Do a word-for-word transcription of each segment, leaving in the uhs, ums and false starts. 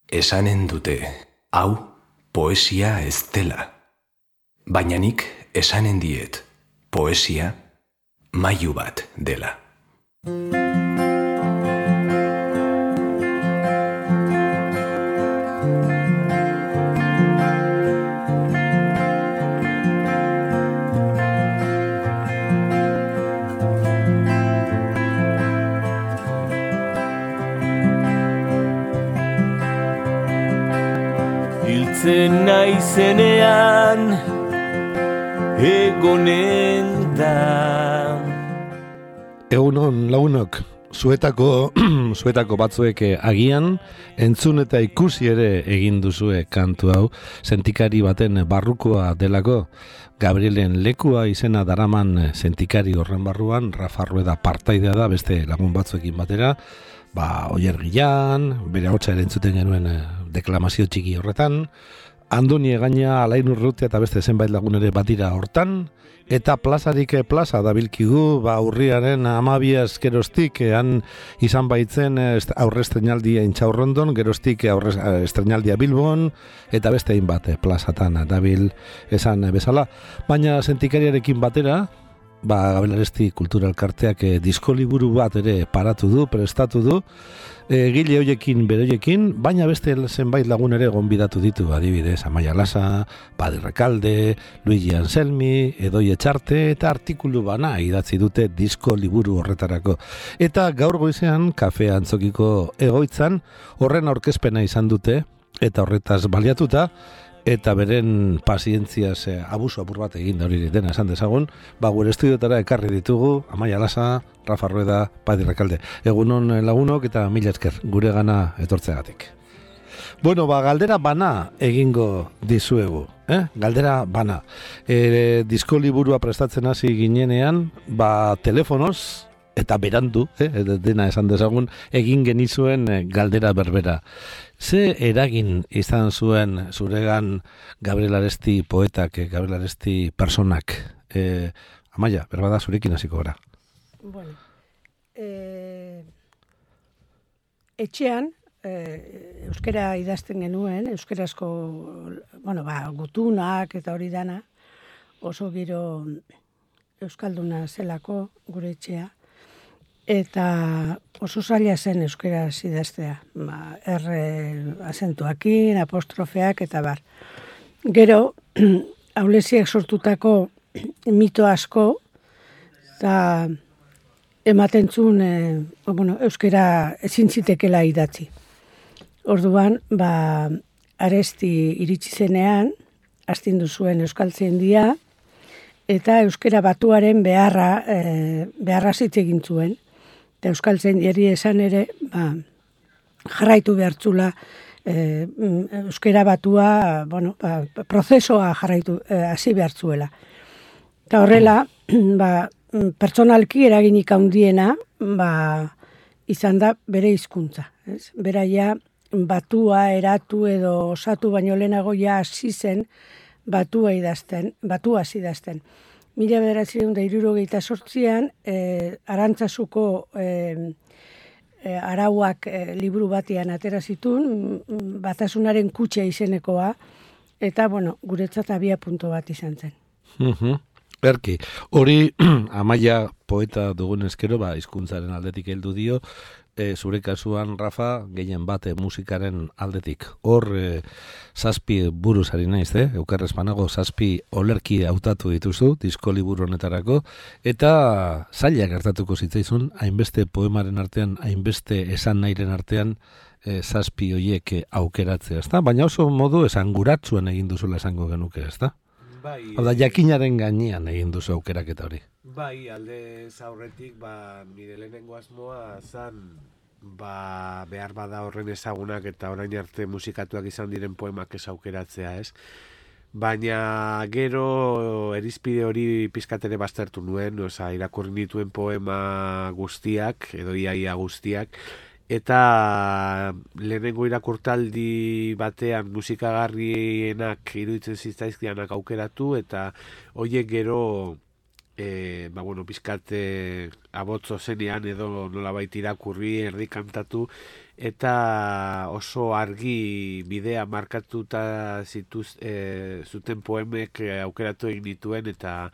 Esanen dute, hau poesia ez dela. Baina nik esanen diet, poesia mailu bat dela. Hiltzen naizenean egonen da. Egunon lagunok, zuetako, zuetako batzuek agian entzun eta ikusi ere egin duzue kantu hau, sentikari baten barrukoa delako. Gabrielen lekua izena daraman sentikari horren barruan, Rafa Rueda partaidea da beste lagun batzuekin batera, ba, Oier Gilan, bere ahotsa ere entzuten genuen deklamazio txiki horretan, Andoni Egaña, Alain Urrutia eta beste zenbait lagun ere batira hortan, eta plazarik plaza dabilkigu, ba, urriaren amabia geroztik han izan baitzen aurre estrenaldia Intxaurrondon, geroztik aurre estrenaldia Bilbon, eta beste hainbat plazatan dabil esan bezala. Baina sentikariarekin batera, ba, Gabriel Aresti Kultura Elkarteak e, disko liburu bat ere paratu du, prestatu du, egile hoiekin beroiekin, baina beste zenbait lagun ere gonbidatu ditu, adibidez, Amaia Lasa, Padi Rekalde, Luigi Anselmi, Edoi Etxarte, eta artikulu bana idatzi dute disko liburu horretarako. Eta gaur goizean, Kafe Antzokiko egoitzan, horren aurkezpena izan dute, eta horretaz baliatuta, eta beren pazientziaz eh, abuso apur bat egin da hori dena esan dezagun, ba, gure estudiotara ekarri ditugu, Amaia Lasa, Rafa Rueda, Padi Rekalde. Egunon lagunok eta mila esker gure gana etortzeagatik. Bueno, ba, galdera bana egingo dizuegu, eh? Galdera bana. E, disko liburua prestatzen hasi ginenean, ba, telefonoz, eta berandu, eh, dena esan dezagun, egin genizuen galdera berbera. Ze eragin izan zuen zuregan Gabriel Aresti poetak, Gabriel Aresti personak? E, Amaia, berbada zurekin hasiko gara. Bueno, e, etxean, e, euskera idazten genuen, euskarazko, bueno, ba, gutunak eta hori dana, oso giro euskalduna zelako gure etxea, eta oso zaila zen euskaraz idaztea, ba, erre azentuakin, apostrofeak eta bar. Gero, aulesiak sortutako mito asko, eta ematen zuen, e, bueno, euskara ezin zitekela idatzi. Orduan, ba, Aresti iritsi zenean, astindu zuen euskaltzaindia, eta euskara batuaren beharra, e, beharra zitz egin zuen. Eta euskaltzaindiari esan ere, ba, jarraitu behartzula e, euskara batua, bueno, ba, prozesoa jarraitu, hasi e, behartzuela. Eta horrela, ba, pertsonalki eraginik handiena, ba, izan da bere hizkuntza. Ez? Beraia batua, eratu edo osatu baino lehenago ja hasi zen batua idazten, batua hasi idazten. Mila bederatziehun eta hirurogeita zortzian, eh, Arantzazuko eh, eh, arauak eh, liburu batean atera zituen, Batasunaren kutxa izenekoa, eta, bueno, guretzat abia punto bat izan zen. Uh-huh. Erki, hori Amaia poeta dugun eskero, ba, hizkuntzaren aldetik heldu dio, e, zure kasuan, Rafa, gehien bate musikaren aldetik. Hor, e, zazpi buruz ari naiz, eh? Eukarrez banago zazpi olerki hautatu dituzu, disko liburu honetarako, eta zaila gertatuko zitzaizun, hainbeste poemaren artean, hainbeste esan nahiren artean, e, zazpi hoiek aukeratzea, ezta? Baina oso modu esanguratsuen egin duzula esango genuke, ezta? Bai, Hau da, jakinaren gainean egin duzu aukeraketa hori. Bai, alde aurretik, ba, nire lehenengo asmoa zan, ba, behar bada horren ezagunak eta orain arte musikatuak izan diren poemak ez aukeratzea, ez? Baina gero erizpide hori pizkatere baztertu nuen, oza, irakurri nituen poema guztiak, edo iaia guztiak, eta lehenengo irakurtaldi batean musikagarrienak iruditzen zitzaizkianak aukeratu, eta horiek gero e, ba, bueno, pizkate abotzo zenean edo nolabait irakurri, erdi kantatu, eta oso argi bidea markatuta zituz, e, zuten poemek aukeratu egin dituen, eta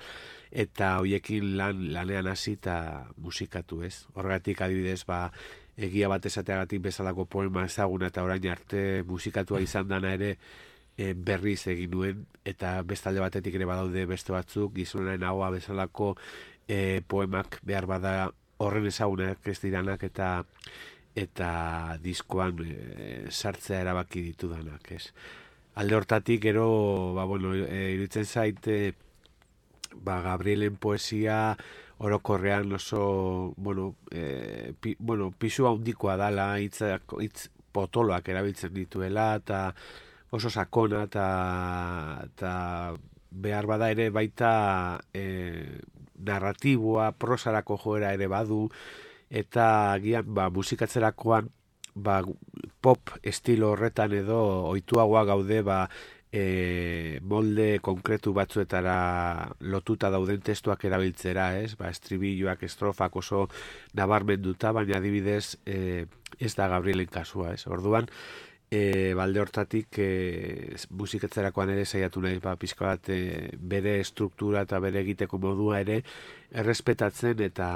eta hoiekin lan, lanean hasi eta musikatu, ez? Horregatik adibidez, ba, egia bat esateagatik bezalako poema ezaguna eta orain arte musikatua izan dana ere e, berriz egin nuen, eta bestalde batetik ere badaude beste batzuk, Gizonaren ahoa bezalako e, poemak behar bada horren ezagunak ez diranak, eta eta diskoan e, sartzea erabaki ditudanak, ez? Alde hortatik, gero, ba, bueno, e, iruditzen zaite, ba, Gabrielen poesia orokorrean oso, bueno, e, pi, bueno pisu handikoa dala, hitz, hitz potoloak erabiltzen dituela, eta oso sakona, eta behar bada ere baita e, narratiboa, prosarako joera ere badu, eta agian ba, musikatzerakoan ba, pop estilo horretan edo ohituagoa gaude ba, e, molde konkretu batzuetara lotuta dauden testuak erabiltzera, ez? Ba, estribilloak, estrofak oso nabarmenduta, baina adibidez e, ez da Gabrielen kasua, ez? Orduan, e, balde hortatik e, musikatzerakoan ere saiatu nahi, ba, pixka bat e, bere struktura eta bere egiteko modua ere errespetatzen, eta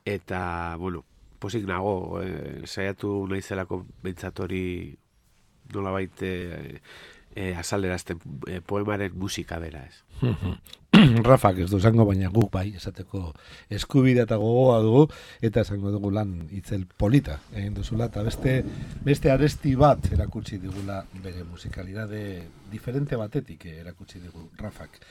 eta, bueno, posik nago, e, saiatu nahi zelako bentsatori nolabait e, e, azalderazten e, poemaren musika bera, ez. Rafak ez du esango, baina guk bai esateko eskubidea eta gogoa dugu, eta esango dugu lan itzel polita egin duzula, eta beste, beste aresti bat erakutsi digula bere musikalidade diferente batetik erakutsi digu Rafak.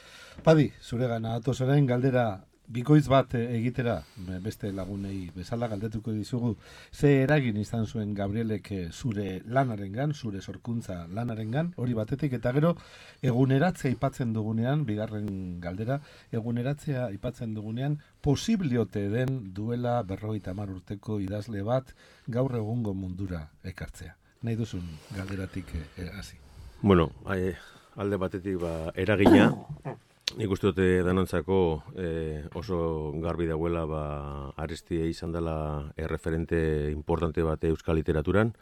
Padi, zure gana atozoren galdera bikoitz bat egitera, beste lagunei bezala galdetuko dizugu, ze eragin izan zuen Gabrielek zure lanarengan, zure sorkuntza lanarengan, hori batetik, eta gero eguneratzea aipatzen dugunean, bigarren galdera, eguneratzea aipatzen dugunean, posibliote den duela berrogeita hamar urteko idazle bat gaur egungo mundura ekartzea. Nahi duzun galderatik hasi. Bueno, alde batetik ba, eragina, nik uste dute danontzako eh, oso garbi dagoela ba, Aresti izan dela erreferente importante bate euskal literaturan.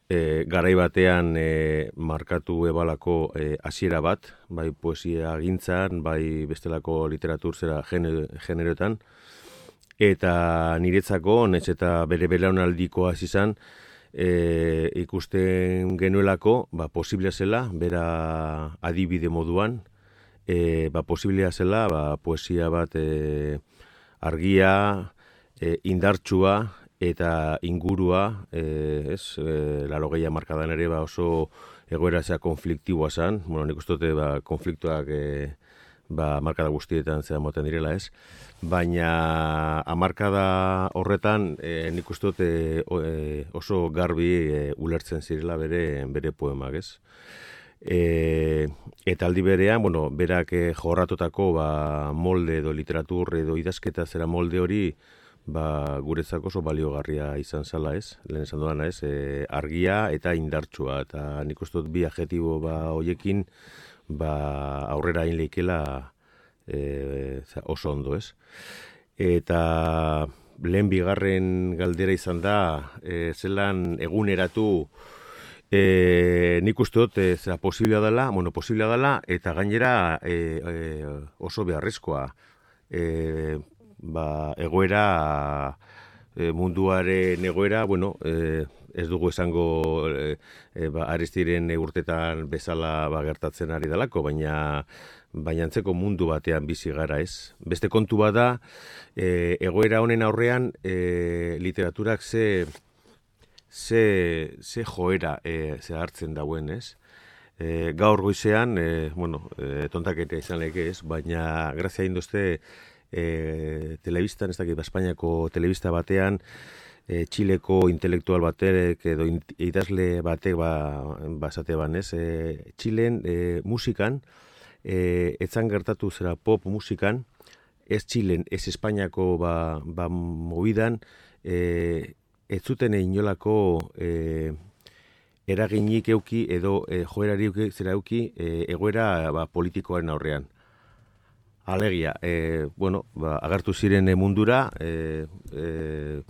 E, garai batean e, markatu ebalako hasiera e, bat, bai poesia gintzan, bai bestelako literatur zera generoetan, eta niretzako, nez eta bere belaunaldikoa izan, e, ikusten genuelako, ba, posiblea zela, bera adibide moduan, e, ba, posiblea zela, ba, poesia bat e, argia, e, indartsua, eta ingurua, e, ez, e, larogeia markadan ere ba oso egoera zea konfliktiboa zan, bueno, nik uste dute ba, konfliktuak e, ba, markada guztietan zea moten direla, ez, baina amarkada horretan e, nik uste dute e, oso garbi e, ulertzen zirela bere, bere poemak, ez. E, eta aldi berean, bueno, berak e, jorratotako ba, molde edo literatur edo idazketa zera molde hori, ba, guretzako oso baliogarria izan zala, ez? Lehen esan duana, ez? E, argia eta indartsua, eta nik uste dut bi adjetibo ba hoiekin ba aurrera egin leikela e, oso ondo, ez? Eta lehen bigarren galdera izan da, e, zelan eguneratu e, nik uste dut e, zera posiblea dela, bueno, posiblea dela, eta gainera e, e, oso beharrezkoa. E, ba, egoera, e, munduaren egoera, bueno, e, ez dugu esango e, e, ba, Arestiren urtetan bezala ba, gertatzen ari dalako, baina baina antzeko mundu batean bizi gara, ez. Beste kontu bada, e, egoera honen aurrean e, literaturak ze, ze, ze joera e, ze hartzen dauen, ez. E, gaur goizean, e, bueno, e, tontaketa izan leke, ez, baina grazia induzte, E, telebistan, ez dakit, Espainiako telebista batean, e, Txileko intelektual batek edo idazle batek ba, basate ban, ez? E, Txilen e, musikan, e, etzan gertatu zera pop musikan, ez Txilen, ez Espainiako ba, ba mobidan, e, ez zuten inolako e, eraginik euki edo e, joerari euki, zera euki e, egoera ba, politikoaren aurrean. Alegia, e, bueno, ba, agertu ziren mundura, e, e,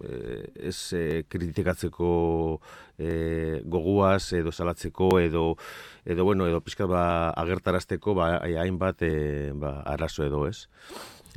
ez e, kritikatzeko e, goguaz edo salatzeko edo edo bueno, edo pizkat ba agertarazteko ba hainbat e, ba arazo edo, ez?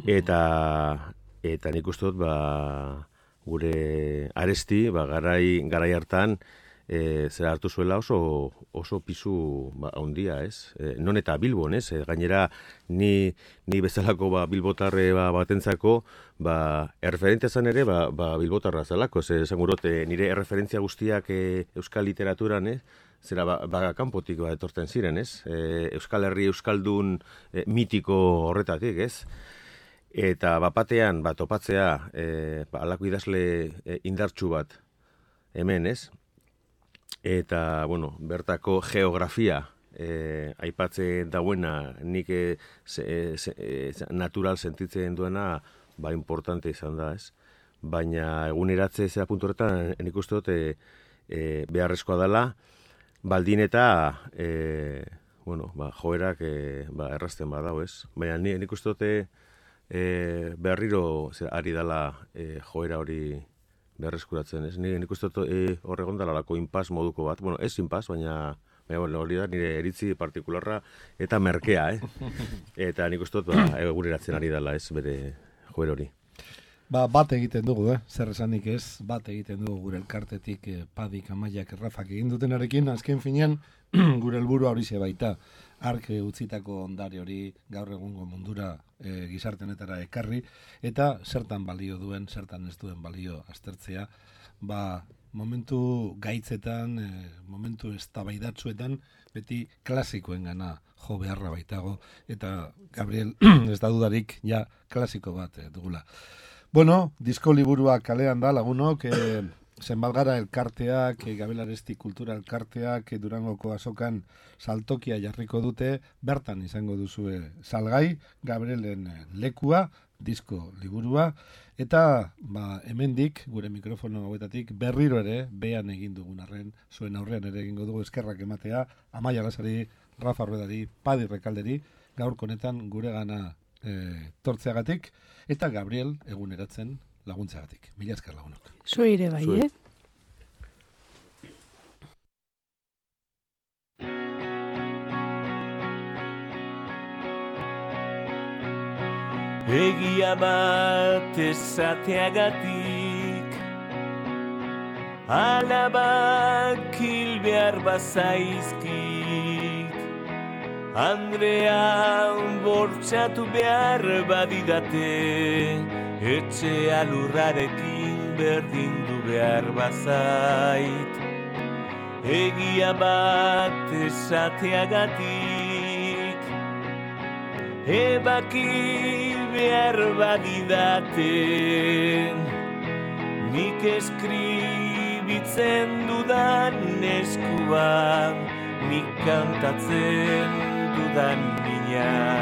Eta eta nik uste dut ba gure Aresti ba garai garai hartan E, zera hartu zuela oso oso pisu ba, handia, ez? E, non eta Bilbon, ez? E, gainera ni ni bezalako ba bilbotarre ba batentzako ba erreferentzia zan ere ba, ba bilbotarra zelako, ze esangurote nire erreferentzia guztiak e, euskal literaturan, ez? Zera ba, ba kanpotik ba etortzen ziren, ez? E, Euskal Herri euskaldun e, mitiko horretatik, ez? Eta bapatean ba topatzea e, ba alako idazle e, indartsu bat hemen, ez? Eta, bueno, bertako geografia eh, aipatzen dauena, nik eh, se, se, eh, natural sentitzen duena, ba, importante izan da, ez? Baina eguneratze zera puntu horretan, nik uste dut, eh, eh, beharrezkoa dela, baldin eta, eh, bueno, ba, joerak eh, ba, errazten badau, ez? Baina nik uste dut, eh, berriro zera, ari dela eh, joera hori berreskuratzen, ez? Nik uste dut e, horregon dalalako inpas moduko bat. Bueno, ez inpas, baina, baina bueno, hori da nire eritzi partikularra eta merkea, eh? Eta nik uste dut ba, eguneratzen ari dela, ez, bere joer hori. Ba, bat egiten dugu, eh? Zer esanik ez, bat egiten dugu gure elkartetik eh, Padik, Amaiak, Rafak egin dutenarekin, azken finean gure helburua hori ze baita. Ark utzitako ondare hori gaur egungo mundura e, gizartenetara ekarri, eta zertan balio duen, zertan ez duen balio aztertzea, ba, momentu gaitzetan, e, momentu eztabaidatsuetan, beti klasikoen gana jo beharra baitago, eta Gabriel, ez da dudarik, ja klasiko bat e, dugula. Bueno, disko liburua kalean da, lagunok, e, zenbalgara elkarteak, e, Gabriel Aresti kultura elkarteak, e, Durangoko azokan saltokia jarriko dute, bertan izango duzue salgai, Gabrielen lekua, disko liburua, eta ba, hemendik, gure mikrofono hauetatik, berriro ere, behan egin dugun arren, zuen aurrean ere egingo dugu eskerrak ematea, Amaia Lasari, Rafa Ruedari, Padi Rekalderi, gaur konetan gure gana e, tortzeagatik, eta Gabriel eguneratzen laguntzeagatik. Mila esker lagunok. Zuire bai, Zue. eh? Egia bat esateagatik alabak hil behar bazaizkit Andrea bortxatu behar badidate etxe alurrarekin berdindu behar bazait Egia bat esateagatik ebaki behar badidaten nik eskribitzen dudan eskuan nik kantatzen dudan mina